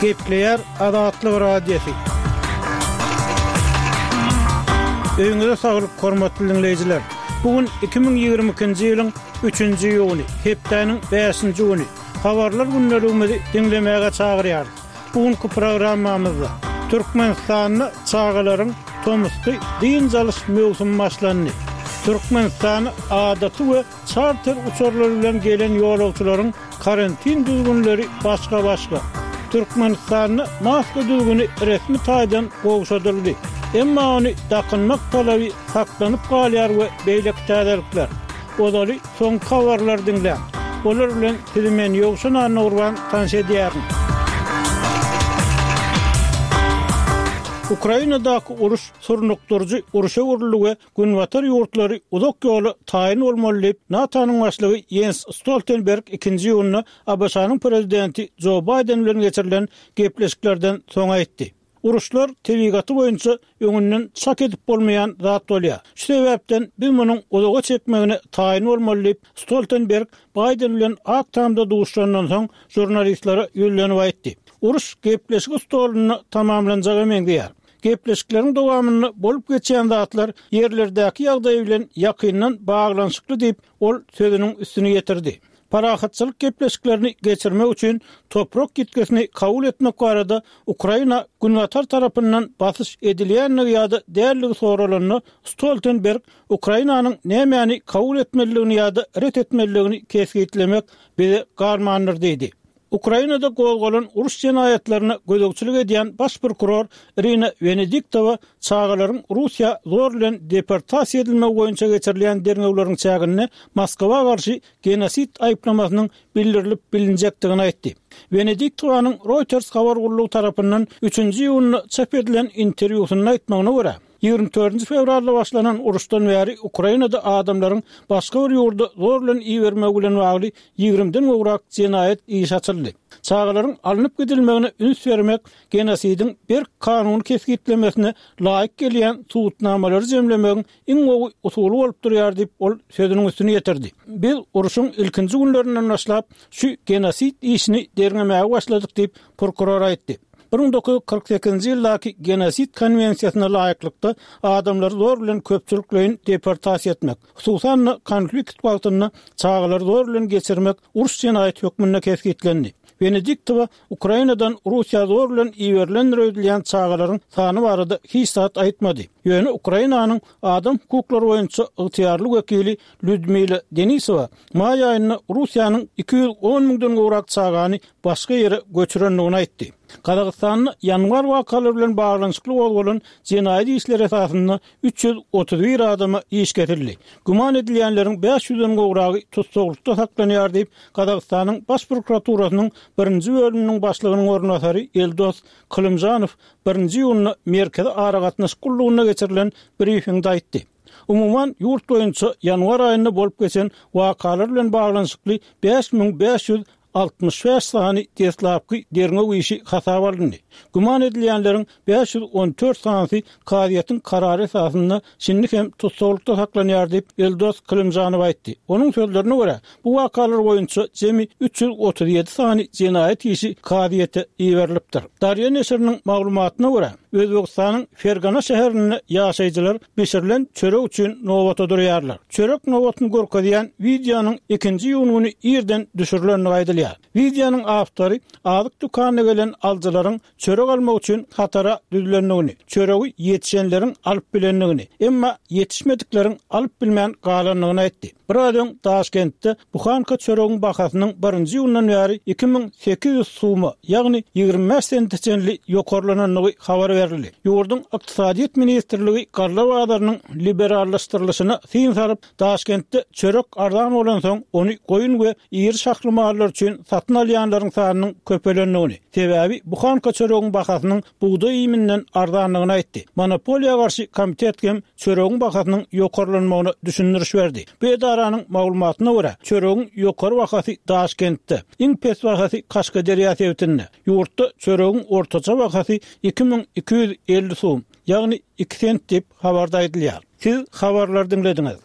Gepleýär Azatlyk Radiosy. Öýüňize saglyk, hormatly diňleýjiler! Bu gün 2022-nji ýylyň üçünji iýuny, hepdäniň bäşinji güni. Habarlar gündeligimizi diňlemäge çagyrýarys. Bu günki programmamyzda Türkmenistanda çagalaryň tomusky dynç alyş möwsümi başlandy. Türkmenistana adaty we çarter uçarlary bilen gelen ýolagçylaryň karantin düzgünleri başga-başga. Türkmenistanda maska düzgüni resmi taýdan gowşadyldy. Emma ony dakynmak talaby saklanyp galýar we beýleki täzelikler. Ozaly soňky habarlary diňläň. Olar bilen sizi men Ýowşan Annagurban tanyş edýärin. Ukrainadaky uruş surnukdyryjy urşa öwrüldi we Günbatar ýurtlary uzak ýola taýyn bolmaly diýip, NATO-nyň başlygy Ýens Stoltenberg ikinji iýunda ABŞ-nyň prezidenti Jo Baýden bilen geçirilen gepleşiklerden soň aýtdy. Uruşlar tebigaty boýunça öňünden çak edip bolmaýan zat bolýar. Şu sebäpden biz munuň uzaga çekmegine taýyn bolmaly diýip, Stoltenberg Baýden bilen Ak Tamda duşuşandan soň žurnalistlere ýüzlenip aýtdy. Uruş gepleşik stolunda tamamlanjaga meňzeýär. Gepleşikleriň dowamynda bolup geçýän zatlar ýerlerdäki ýagdaý bilen ýakyndan baglanyşykly diýip, ol sözüniň üstüni ýetirdi. Parahatçylyk gepleşiklerini geçirmek üçin toprak ýitgisini kabul etmek barada Ukraina Günbatar tarapyndan basyş edilýändigi ýa-da däldigi soralanda, Stoltenberg Ukrainanyň nämäni kabul etmelidigini ýa-da ret etmelidigini kesgitlemek bize galmandyr diýdi. Ukrainada gozgalan uruş jenaýatlaryna gözegçilik edýän baş prokuror Irina Wenediktowa çagalaryň Russiýa zor bilen deportasiýa edilmegi boýunça geçirilýän derňewleriň çäginde Moskwa garşy genosid aýyplamasynyň bildirilip bilinjekdigini aýtdy. Wenediktowanyň Reuters habar gullugy tarapyndan üçünji iýunda çap edilen interwýusynda aýtmagyna görä, 24 fewralda başlanan uruşdan bäri Ukrainada adamlaryň başga bir ýurda zor bilen ibermegi bilen bagly ýigrimiden gowrak jenaýat işi açyldy. Çagalaryň alnyp gidilmegine üns bermek genosidiň berk kanuny kesgitlemesine laýyk gelýän subutnamalary jemlemegiň iň gowy usuly bolup durýar diýip, ol sözüniň üstüni ýetirdi. Biz urşuň ilkinji günlerinden başlap şu genosid işini derňemäge başladyk diýip, prokuror aýtdy. 1948-nji ýyldaky Genosid konwensiýasyna laýyklykda, adamlary zor bilen köpçülikleýin deportasiýa etmek, hususan-da, konflikt wagtynda çagalary zor bilen geçirmek uruş jenaýaty hökmünde kesgitlendi. Wenediktowa Ukrainadan Russiýa zor bilen iberilendir öýdülýän çagalaryň sany barada hiç zat aýtmady. Ýöne Ukrainanyň adam hukuklary boýunça ygtyýarly wekili Lýudmila Denisowa maý aýynda Russiýanyň 210 müňden gowrak çagany başga ýere göçürendigini aýtdy. Gazagystanda ýanwar wakalary bilen baglanyşykly gozgalan jenaýat işleri esasynda 331 adama iş kesildi. Güman edilýänleriň 500-den gowragy tussaglykda saklanýar diýip, Gazagystanyň Baş prokuraturasynyň birinji bölüminiň başlygynyň orunbasary Eldos Kylymžanow birinji iýunda Merkezi aragatnaşyk gullugynda geçirilen brifingde aýtdy. Umuman, ýurt boýunça ýanwar aýynda bolup geçen wakalar bilen baglanyşykly 5565 sany deslapky derňew işi hasaba alyndy. Güman edilýänleriň 514 sanysy kazyýetiň karary esasynda şindi hem tussaglykda saklanýar diýip, Eldos Kylymjanow aýtdy. Onuň sözlerine görä, bu wakalar boýunça jemi 337 sany jenaýat işi kazyýete iberilipdir. Darýa neşiriniň maglumatyna görä, Özbegistanyň Fergana şäherinde ýaşaýjylar bişirilen çörek üçin nobata durýarlar. Çörek nobatyny görkezýän wideonyň ikinji iýun güni irden düşürilendigi aýdylýar. Wideonyň awtory azyk dükanyna gelen alyjylaryň çörek almak üçin hatara düzülendigini, çöregi ýetişenleriň alyp bilendigini, emma ýetişmedikleriň alyp bilmän galandygyny aýtdy. Biraz öň Daşkentde buhanka çöregiň bahasynyň birinji iýundan bäri 2800 suma, ýagny 25 sente çenli ýokarlanandygy habar berildi. Ýurduň Ykdysadyýet ministrligi galla bazarynyň liberallaşdyrylyşyna syn salyp, Daşkentde çörek arzan bolansoň, ony goýun we iri şahly mallar üçin satyn alýanlaryň sanynyň köpelendigini, sebäbi buhanka çöregiň bahasynyň bugdaý iýminden arzandygyny aýtdy. Monopoliýa garşy komitet hem çöregiň bahasynyň ýokarlanmagyna düşündiriş berdi. Bu edaranyň maglumatyna görä, çöregiň ýokary bahasy Daşkentde, iň pes bahasy Kaşgaderýa sebitinde. Ýurtda çöregiň ortaça bahasy 2250 sum, ýagny iki sent diýip, habarda aýdylýar. Siz habarlary diňlediňiz.